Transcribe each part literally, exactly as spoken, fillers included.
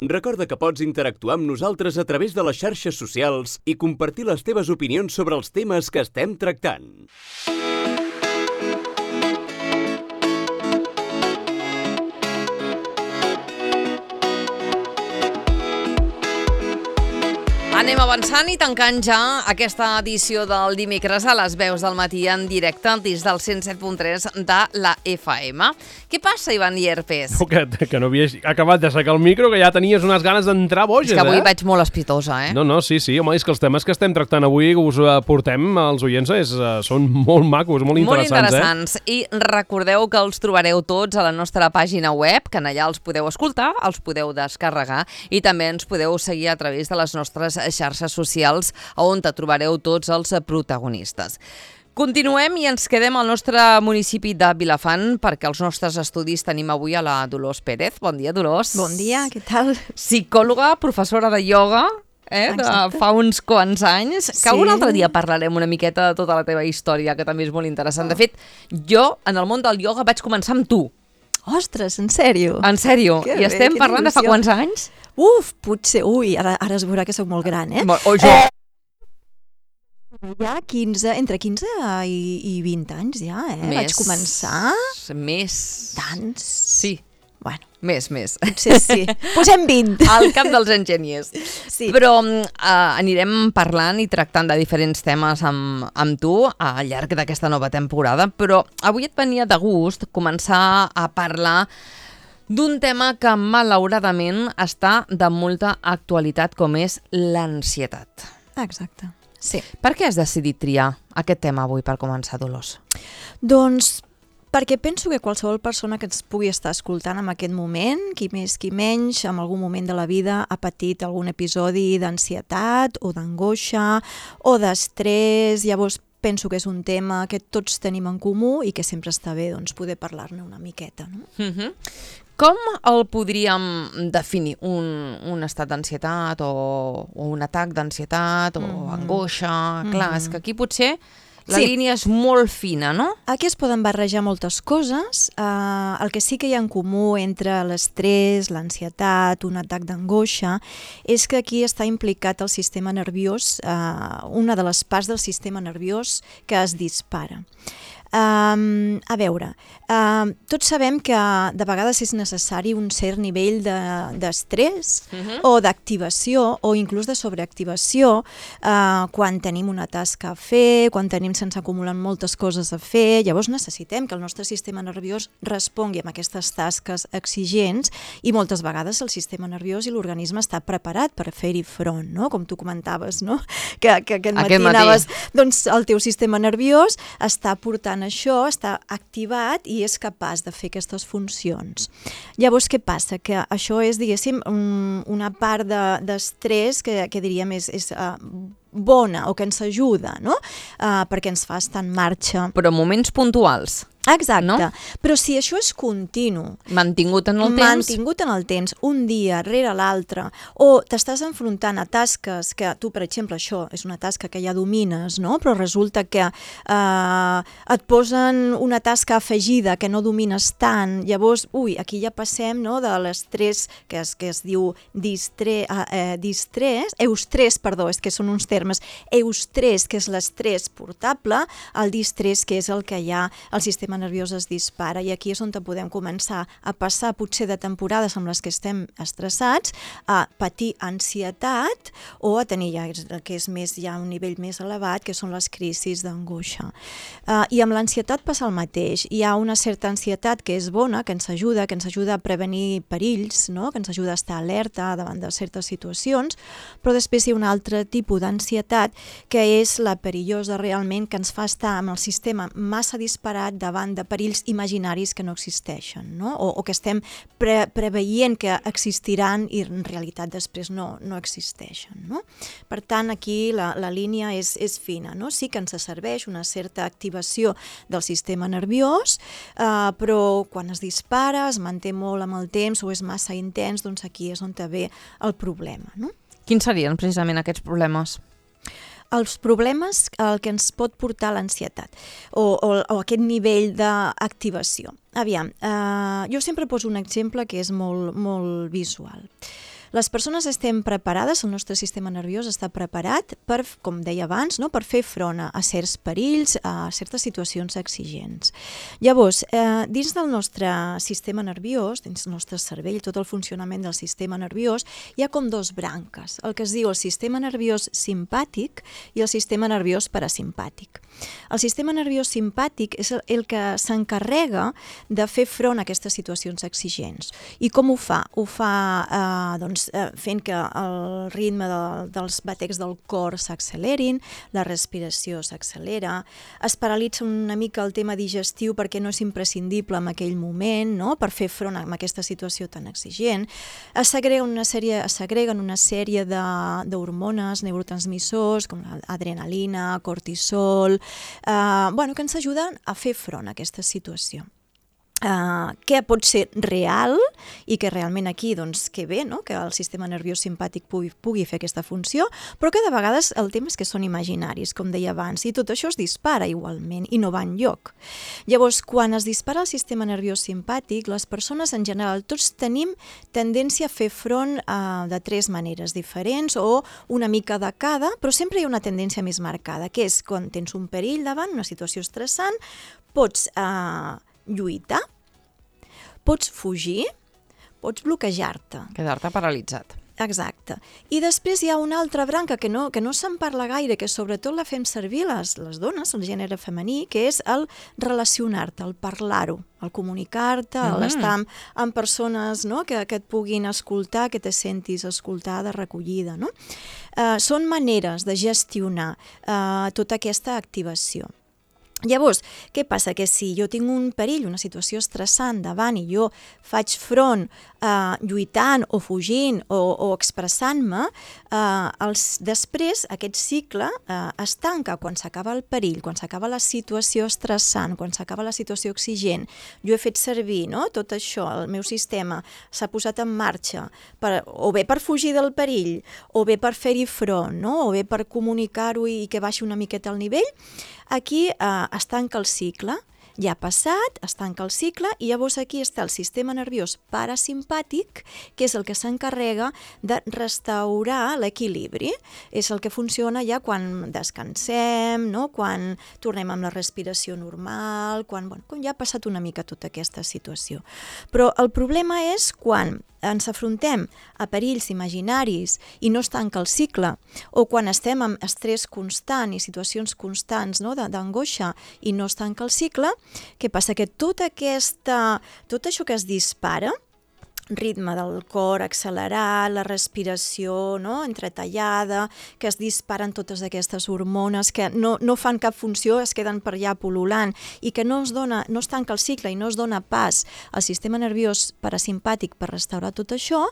Recorda que pots interactuar amb nosaltres a través de les xarxes socials i compartir les teves opinions sobre els temes que estem tractant. Anem avançant i tancant ja aquesta edició del dimecres a les veus del matí en directe des del cent set punt tres de la F M. Què passa, Ivan Llerpes? No, que, que no havies acabat d'assecar el micro, que ja tenies unes ganes d'entrar boges, eh? És que avui eh? vaig molt espitosa, eh? No, no, sí, sí, home, és que els temes que estem tractant avui, que us portem als oients, és, són molt macos, molt interessants, molt interessants. Eh? I recordeu que els trobareu tots a la nostra pàgina web, que en allà els podeu escoltar, els podeu descarregar i també ens podeu seguir a través de les nostres xarxes socials on te trobareu tots els protagonistes. Continuem i ens quedem al nostre municipi de Vilafant perquè als nostres estudis tenim avui a la Dolors Pérez. Bon dia, Dolors. Bon dia, què tal? Psicòloga, professora de ioga, eh, de fa uns quants anys, que sí. Un altre dia parlarem una miqueta de tota la teva història, que també és molt interessant. De fet, jo en el món del ioga vaig començar amb tu. Ostres, en sèrio? En sèrio. I estem parlant de fa quants anys? Uf, potser... Ui, ara, ara es veurà que sóc molt gran, eh? O jo... Eh, ja quinze, entre quinze i, i vint anys, ja, eh? Més, vaig començar... Més... Tants? Sí. Bueno. Més, més. Potser sí. Posem vint. Al cap dels enginyers. Sí. Però uh, anirem parlant i tractant de diferents temes amb, amb tu al llarg d'aquesta nova temporada, però avui et venia de gust començar a parlar d'un tema que malauradament està de molta actualitat, com és l'ansietat. Exacte, sí. Per què has decidit triar aquest tema avui per començar, Dolors? Doncs perquè penso que qualsevol persona que ens pugui estar escoltant en aquest moment, qui més, qui menys, en algun moment de la vida ha patit algun episodi d'ansietat o d'angoixa o d'estrès. Llavors penso que és un tema que tots tenim en comú i que sempre està bé doncs, poder parlar-ne una miqueta. No? Uh-huh. Com el podríem definir? Un, un estat d'ansietat o, o un atac d'ansietat o mm-hmm. angoixa? Mm-hmm. Clar, és que aquí potser la sí. línia és molt fina, no? Aquí es poden barrejar moltes coses. Uh, el que sí que hi ha en comú entre l'estrès, l'ansietat, un atac d'angoixa, és que aquí està implicat el sistema nerviós, uh, una de les parts del sistema nerviós que es dispara. Um, a veure, uh, tots sabem que de vegades és necessari un cert nivell d'estrès de, uh-huh. o d'activació o inclús de sobreactivació uh, quan tenim una tasca a fer, quan tenim se'ns acumulen moltes coses a fer. Llavors necessitem que el nostre sistema nerviós respongui amb aquestes tasques exigents i moltes vegades el sistema nerviós i l'organisme està preparat per fer-hi front, no? Com tu comentaves, no? que, que aquest matí, aquest matí anaves, doncs el teu sistema nerviós està portant això, està activat i és capaç de fer aquestes funcions. Llavors, què passa? Que això és, diguéssim, una part d'estrès que, que diríem és, és uh, bona o que ens ajuda, no? Uh, perquè ens fa estar en marxa. Però moments puntuals. Exacte, no? Però si això és continu, mantingut en el temps, mantingut en el temps, un dia rere l'altre, o t'estàs enfrontant a tasques que tu, per exemple, això és una tasca que ja domines, no? Però resulta que eh, et posen una tasca afegida que no domines tant, llavors, ui, aquí ja passem, no?, de l'estrès que es, que es diu distre, eh, distrés, eustrès, perdó, és que són uns termes, eustrès, que és l'estrès portable, el distrés, que és el que hi ha al sistema nerviós es dispara, i aquí és on podem començar a passar potser de temporades amb les que estem estressats a patir ansietat o a tenir ja el que és més ja un nivell més elevat, que són les crisis d'angoixa. Uh, I amb l'ansietat passa el mateix. Hi ha una certa ansietat que és bona, que ens ajuda, que ens ajuda a prevenir perills, no? Que ens ajuda a estar alerta davant de certes situacions, però després hi ha un altre tipus d'ansietat que és la perillosa realment, que ens fa estar amb el sistema massa disparat davant de perills imaginaris que no existeixen, no? O, o que estem pre preveient que existiran i en realitat després no, no existeixen, no? Per tant, aquí la, la línia és, és fina, no? Sí que ens serveix una certa activació del sistema nerviós, eh, però quan es dispara, es manté molt amb el temps o és massa intens, doncs aquí és on ve el problema, no? Quins serien precisament aquests problemes? Els problemes, el que ens pot portar l'ansietat o, o, o aquest nivell d'activació. Aviam, eh, jo sempre poso un exemple que és molt, molt visual. Les persones estem preparades, el nostre sistema nerviós està preparat per, com deia abans, no? Per fer front a, a certs perills, a certes situacions exigents. Llavors, eh, dins del nostre sistema nerviós, dins del nostre cervell, tot el funcionament del sistema nerviós, hi ha com dos branques, el que es diu el sistema nerviós simpàtic i el sistema nerviós parasimpàtic. El sistema nerviós simpàtic és el, el que s'encarrega de fer front a aquestes situacions exigents. I com ho fa? Ho fa eh, doncs, eh, fent que el ritme de, dels batecs del cor s'accelerin, la respiració s'accelera, es paralitza una mica el tema digestiu perquè no és imprescindible en aquell moment, no? Per fer front a aquesta situació tan exigent. Es segreguen una sèrie, es segreguen una sèrie d'hormones, neurotransmissors, com l'adrenalina, cortisol, eh, bueno, que ens ajuden a fer front a aquesta situació. Uh, que pot ser real i que realment aquí, doncs, que bé, no? Que el sistema nerviós simpàtic pugui, pugui fer aquesta funció, però que de vegades el tema és que són imaginaris, com deia abans, i tot això es dispara igualment i no va enlloc. Llavors, quan es dispara el sistema nerviós simpàtic, les persones en general, tots tenim tendència a fer front uh, de tres maneres diferents o una mica de cada, però sempre hi ha una tendència més marcada, que és quan tens un perill davant, una situació estressant, pots uh, lluitar, pots fugir, pots bloquejar-te. Quedar-te paralitzat. Exacte. I després hi ha una altra branca que no, que no se'n parla gaire, que sobretot la fem servir les, les dones, el gènere femení, que és el relacionar-te, el parlar-ho, el comunicar-te, mm. l'estar amb, amb persones, no? que, que et puguin escoltar, que te sentis escoltada, recollida. No? Uh, són maneres de gestionar uh, tota aquesta activació. Llavors, què passa? Que si jo tinc un perill, una situació estressant davant i jo faig front eh, lluitant o fugint o, o expressant-me, eh, els, després aquest cicle eh, es tanca quan s'acaba el perill, quan s'acaba la situació estressant, quan s'acaba la situació exigent. Jo he fet servir, no? Tot això, el meu sistema s'ha posat en marxa, per, o bé per fugir del perill, o bé per fer-hi front, no? O bé per comunicar-ho i que baixi una miqueta el nivell. Aquí eh, es tanca el cicle, ja ha passat, es tanca el cicle i llavors aquí està el sistema nerviós parasimpàtic, que és el que s'encarrega de restaurar l'equilibri. És el que funciona ja quan descansem, no? Quan tornem amb la respiració normal, quan, bueno, quan ja ha passat una mica tota aquesta situació. Però el problema és quan ens afrontem a perills imaginaris i no es tanca el cicle, o quan estem amb estrès constant i situacions constants, no? d'angoixa i no es tanca el cicle, què passa? Que tota aquesta, tot això que es dispara, ritme del cor accelerat, la respiració, no? Entretallada, que es disparen totes aquestes hormones que no, no fan cap funció, es queden per allà pol·lulant i que no es, dona, no es tanca el cicle i no es dona pas al sistema nerviós parasimpàtic per restaurar tot això,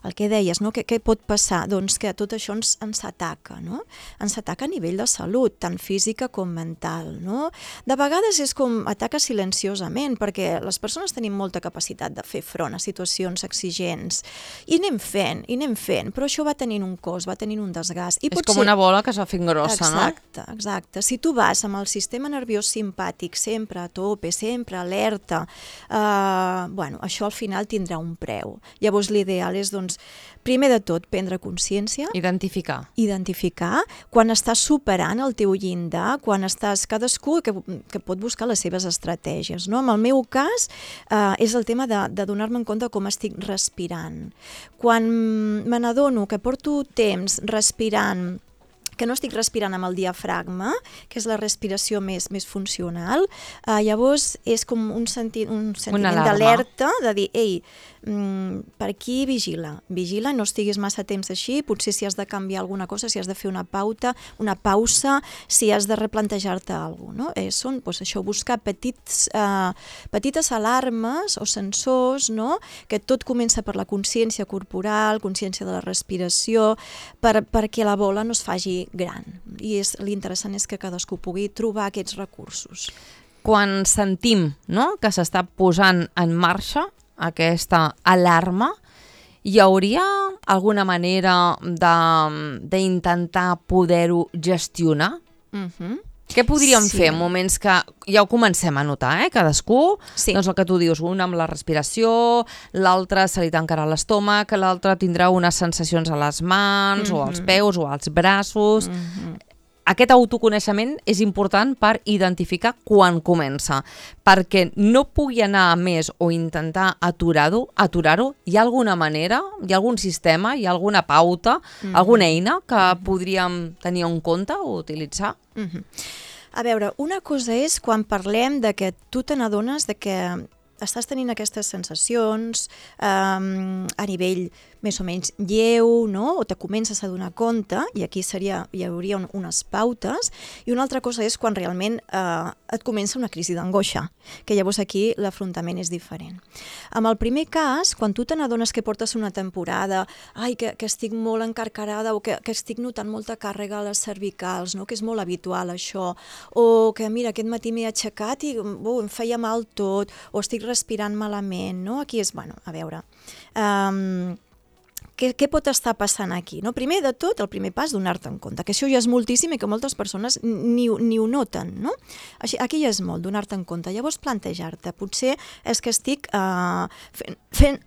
el que deies, no? Què, què pot passar? Doncs que tot això ens, ens ataca, no? Ens ataca a nivell de salut, tant física com mental, no? De vegades és com ataca silenciosament, perquè les persones tenim molta capacitat de fer front a situacions exigents, i anem fent, i anem fent, però això va tenint un cost, va tenint un desgast. I és com ser... una bola que es va fent grossa, exacte, no? Exacte, exacte. Si tu vas amb el sistema nerviós simpàtic sempre a tope, sempre alerta, eh, bueno, això al final tindrà un preu. Llavors l'ideal és, doncs, primer de tot, prendre consciència. Identificar. Identificar, quan estàs superant el teu llindar, quan estàs cadascú que, que pot buscar les seves estratègies, no? En el meu cas, eh, és el tema de, de donar-me en compte com estic respirant. Quan me n'adono que porto temps respirant, que no estic respirant amb el diafragma, que és la respiració més, més funcional, eh, llavors és com un, senti un sentiment d'alerta, de dir, ei, mm, per aquí vigila, vigila, no estiguis massa temps així, potser si has de canviar alguna cosa, si has de fer una pauta, una pausa, si has de replantejar-te alguna cosa, no? Eh, són, doncs, això, buscar petits, eh, petites alarmes o sensors, no? Que tot comença per la consciència corporal, consciència de la respiració, per, perquè la bola no es faci gran. I és, l'interessant és que cadascú pugui trobar aquests recursos. Quan sentim, no?, que s'està posant en marxa aquesta alarma, hi hauria alguna manera d'intentar poder-ho gestionar? Mhm. Què podríem Sí. fer en moments que ja ho comencem a notar, eh? Cadascú, Sí. doncs el que tu dius, un amb la respiració, l'altre se li tancarà l'estómac, l'altre tindrà unes sensacions a les mans, o als peus, o als braços. Aquest autoconeixement és important per identificar quan comença, perquè no pugui anar a més o intentar aturar-ho, aturar-ho, hi ha alguna manera, hi ha algun sistema, hi ha alguna pauta, alguna eina que podríem tenir en compte o utilitzar? Mhm. A veure, una cosa és quan parlem de que tu te n'adones de que estàs tenint aquestes sensacions um, a nivell més o menys lleu, no? O te comences a donar compte, i aquí seria, hi hauria un, unes pautes, i una altra cosa és quan realment eh, et comença una crisi d'angoixa, que llavors aquí l'afrontament és diferent. En el primer cas, quan tu te n'adones que portes una temporada, ai, que, que estic molt encarcarada o que, que estic notant molta càrrega a les cervicals, no? Que és molt habitual això, o que mira, aquest matí m'he aixecat i oh, em feia mal tot, o estic respirant malament, no? Aquí és, bueno, a veure... Um, Què, què pot estar passant aquí? No? Primer de tot, el primer pas, donar-te en compte, que això ja és moltíssim i que moltes persones ni, ni ho noten, no? Així, aquí ja és molt, donar-te en compte. Llavors plantejar-te, potser és que estic uh, fent, fent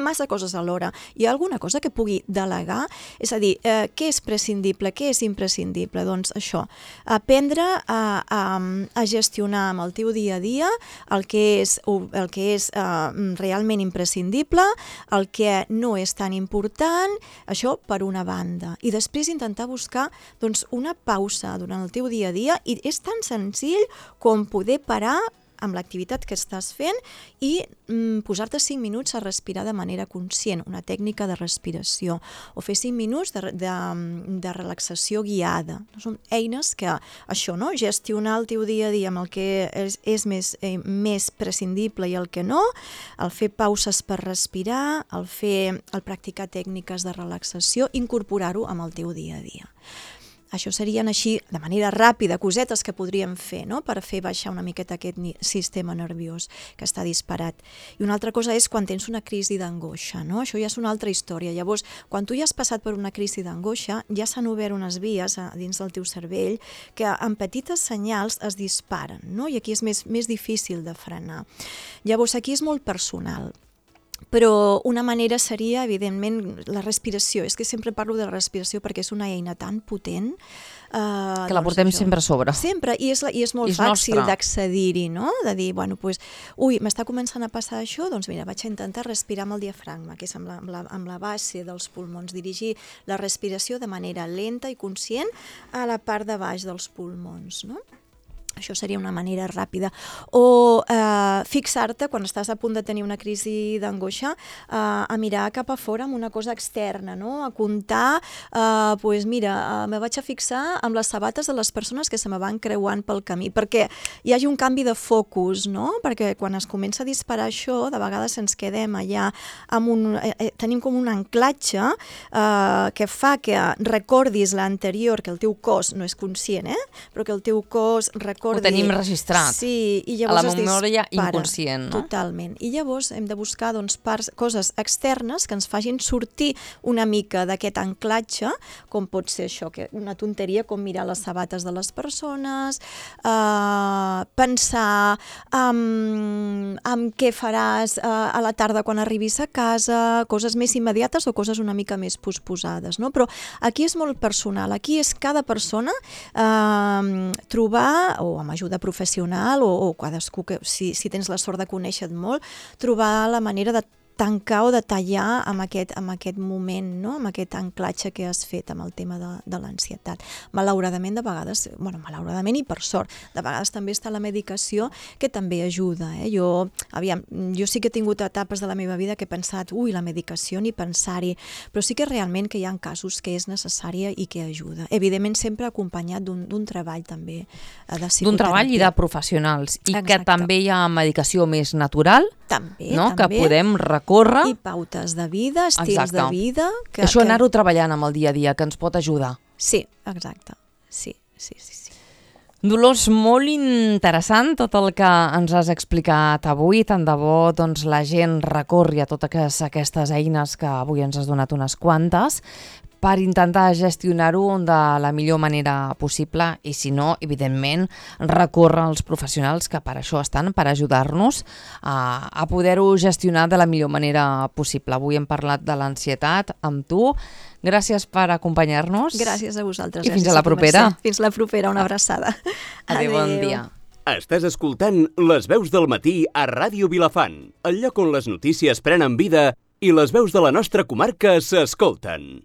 massa coses alhora. Hi ha alguna cosa que pugui delegar? És a dir, eh, què és prescindible, què és imprescindible? Doncs això, aprendre a, a, a gestionar amb el teu dia a dia el que és, el que és eh, realment imprescindible, el que no és tan important, això per una banda. I després intentar buscar doncs, una pausa durant el teu dia a dia, i és tan senzill com poder parar amb l'activitat que estàs fent i mm, posar-te cinc minuts a respirar de manera conscient, una tècnica de respiració, o fer cinc minuts de, de, de relaxació guiada. Són eines que, això, no? Gestionar el teu dia a dia amb el que és, és més, eh, més prescindible i el que no, el fer pauses per respirar, el fer, el practicar tècniques de relaxació, incorporar-ho amb el teu dia a dia. Això serien així, de manera ràpida, cosetes que podríem fer, no? Per fer baixar una miqueta aquest sistema nerviós que està disparat. I una altra cosa és quan tens una crisi d'angoixa, no? Això ja és una altra història. Llavors, quan tu ja has passat per una crisi d'angoixa, ja s'han obert unes vies a dins del teu cervell que amb petites senyals es disparen, no? I aquí és més, més difícil de frenar. Llavors, aquí és molt personal. Però una manera seria, evidentment, la respiració. És que sempre parlo de la respiració perquè és una eina tan potent. Uh, que la portem doncs, sempre a sobre. Sempre, i és, la, i és molt I és fàcil nostra. d'accedir-hi, no? De dir, bueno, pues, ui, m'està començant a passar això, doncs mira, vaig a intentar respirar amb el diafragma, que és amb la, amb la, amb la base dels pulmons, dirigir la respiració de manera lenta i conscient a la part de baix dels pulmons, no? Això seria una manera ràpida. O eh, fixar-te, quan estàs a punt de tenir una crisi d'angoixa, eh, a mirar cap a fora amb una cosa externa, no? A comptar, eh, pues mira, eh, me vaig a fixar amb les sabates de les persones que se me van creuant pel camí, perquè hi hagi un canvi de focus, no? Perquè quan es comença a disparar això, de vegades ens quedem allà, amb un, eh, tenim com un anclatge eh, que fa que recordis l'anterior, que el teu cos no és conscient, eh? Però que el teu cos recordi... Ho tenim registrat, sí, i a la llavors memòria es dispara. inconscient, no? Totalment. I llavors hem de buscar doncs, parts, coses externes que ens facin sortir una mica d'aquest anclatge, com pot ser això, que una tonteria com mirar les sabates de les persones, eh, pensar en, en què faràs eh, a la tarda quan arribis a casa, coses més immediates o coses una mica més posposades, no? Però aquí és molt personal, aquí és cada persona eh, trobar, o amb ajuda professional, o, o cadascú, que si, si tens la sort de conèixer-te molt, trobar la manera de tancar o de tallar amb aquest, amb aquest moment, no? Amb aquest anclatge que has fet amb el tema de, de l'ansietat. Malauradament, de vegades, bueno, malauradament i per sort, de vegades també està la medicació, que també ajuda. Eh? Jo, aviam, jo sí que he tingut etapes de la meva vida que he pensat, ui, la medicació, ni pensar-hi, però sí que realment que hi ha casos que és necessària i que ajuda. Evidentment, sempre acompanyat d'un treball també eh, de psicoteràpia. D'un treball i de professionals. I Exacte. que també hi ha medicació més natural, també, no? també. Que podem recórrer. I pautes de vida, estils Exacte. de vida. Que, Això que... anar-ho treballant amb el dia a dia, que ens pot ajudar. Sí, exacte. Sí, sí, sí. sí. Dolors, molt interessant tot el que ens has explicat avui. Tant de bo doncs, la gent recorri a totes aquestes eines que avui ens has donat unes quantes, per intentar gestionar-ho de la millor manera possible i, si no, evidentment, recórrer als professionals que per això estan, per ajudar-nos a, a poder-ho gestionar de la millor manera possible. Avui hem parlat de l'ansietat amb tu. Gràcies per acompanyar-nos. Gràcies a vosaltres. I fins a la propera. Fins la propera, una abraçada. Adéu, bon dia. Estàs escoltant Les veus del matí a Ràdio Vilafant, el lloc on les notícies prenen vida i les veus de la nostra comarca s'escolten.